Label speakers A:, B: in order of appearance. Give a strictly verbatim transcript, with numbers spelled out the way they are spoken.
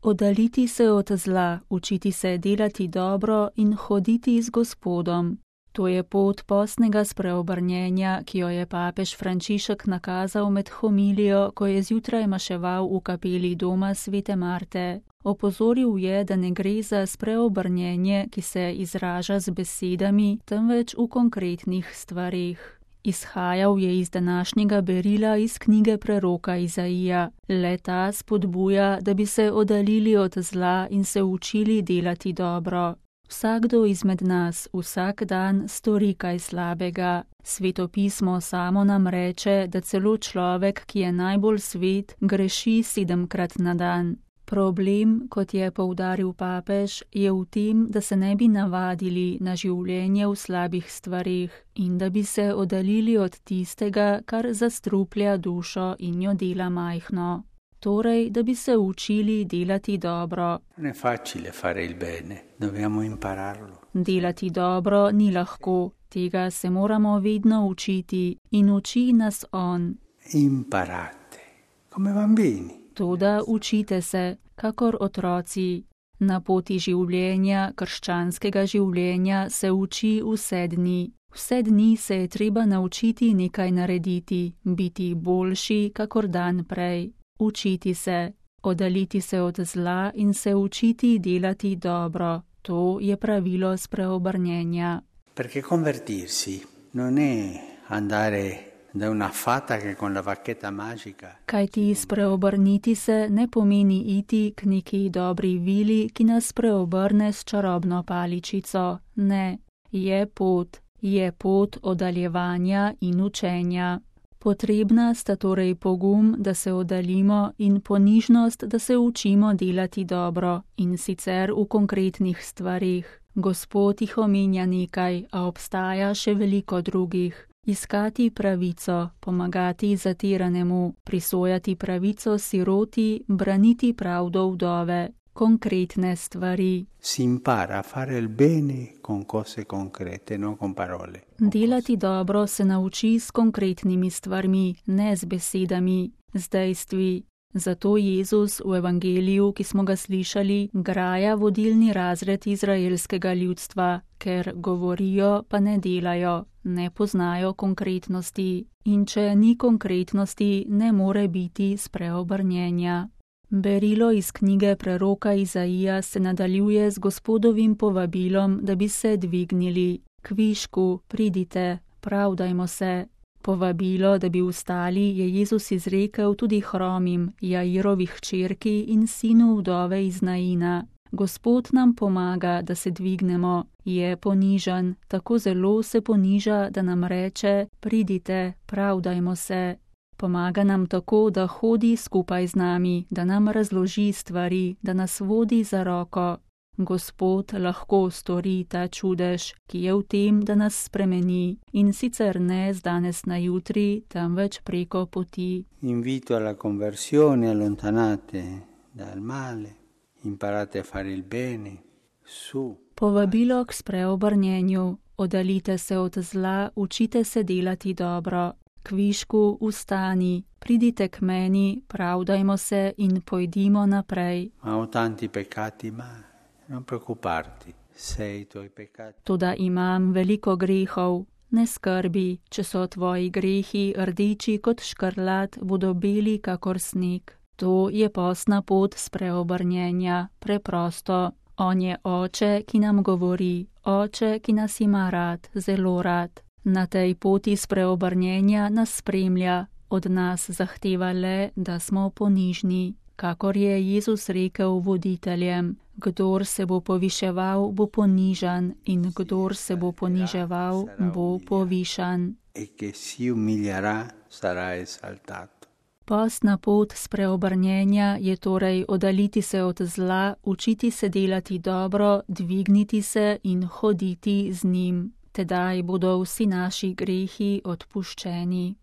A: Oddaliti se od zla, učiti se delati dobro in hoditi z Gospodom. To je pot postnega spreobrnjenja, ki jo je papež Frančišek nakazal med homilijo, ko je zjutraj maševal v kapeli doma svete Marte. Opozoril je, da ne gre za spreobrnjenje, ki se izraža z besedami, temveč v konkretnih stvareh. Izhajal je iz današnjega berila iz knjige preroka Izaija. Le ta spodbuja, da bi se oddaljili od zla in se učili delati dobro. Vsakdo izmed nas vsak dan stori kaj slabega. Sveto pismo samo nam reče, da celo človek, ki je najbolj svet, greši sedemkrat na dan. Problem, kot je poudaril papež, je v tem, da se ne bi navadili na življenje v slabih stvareh in da bi se oddaljili od tistega, kar zastruplja dušo in jo dela majhno. Torej, da bi se učili delati dobro. Delati dobro ni lahko, tega se moramo vedno učiti in uči nas on.
B: Imparate, come bambini.
A: Toda učite se, kakor otroci. Na poti življenja, krščanskega življenja, se uči vse dni. Vse dni se je treba naučiti nekaj narediti, biti boljši, kakor dan prej. Učiti se, oddaljiti se od zla in se učiti delati dobro. To je pravilo spreobrnjenja.
B: Perché convertirsi non è andare da una fata che con la bacchetta magica.
A: Kajti spreobrniti se ne pomeni iti k neki dobri vili, ki nas preobrne s čarobno paličico. Ne, je pot, je pot oddaljevanja in učenja. Potrebna sta torej pogum, da se oddaljimo, in ponižnost, da se učimo delati dobro, in sicer v konkretnih stvarih. Gospod jih omenja nekaj, a obstaja še veliko drugih. Iskati pravico, pomagati zatiranemu, prisojati pravico siroti, braniti pravdo vdove. Konkretne stvari.
B: Si impara a fare il bene con cose concrete, non con parole.
A: Delati dobro se nauči s konkretnimi stvarmi, ne z besedami, z dejstvi. Zato Jezus v evangeliju, ki smo ga slišali, graja vodilni razred izraelskega ljudstva, ker govorijo, pa ne delajo, ne poznajo konkretnosti. In če ni konkretnosti, ne more biti spreobrnjenja. Berilo iz knjige preroka Izaija se nadaljuje z Gospodovim povabilom, da bi se dvignili. Kvišku, pridite, pravdajmo se. Povabilo, da bi vstali, je Jezus izrekel tudi hromim, Jairovi hčerki in sinu vdove iz Naina. Gospod nam pomaga, da se dvignemo, je ponižan, tako zelo se poniža, da nam reče, pridite, pravdajmo se. Pomaga nam tako, da hodi skupaj z nami, da nam razloži stvari, da nas vodi za roko. Gospod lahko stori ta čudež, ki je v tem, da nas spremeni, in sicer ne z danes na jutri, temveč preko poti.
B: Invito alla conversione, allontanate dal male, imparate a fare il bene, su.
A: Povabilo k spreobrnjenju, oddaljite se od zla, učite se delati dobro. Kvišku, vstani, pridite k meni, pravdajmo se in pojdimo naprej.
B: Ma ho tanti peccati, ma non preoccuparti, se i tuoi peccati.
A: Toda imam veliko grehov, ne skrbi, če so tvoji grehi rdeči kot škrlat, bodo beli kakor sneg. To je postna pot spreobrnjenja, preprosto. On je oče, ki nam govori, oče, ki nas ima rad, zelo rad. Na tej poti spreobrnjenja nas spremlja, od nas zahteva le, da smo ponižni. Kakor je Jezus rekel voditeljem, kdor se bo poviševal, bo ponižan, in kdor se bo poniževal, bo povišan. Postna pot spreobrnjenja je torej oddaljiti se od zla, učiti se delati dobro, dvigniti se in hoditi z njim. Tedaj bodo vsi naši grehi odpuščeni.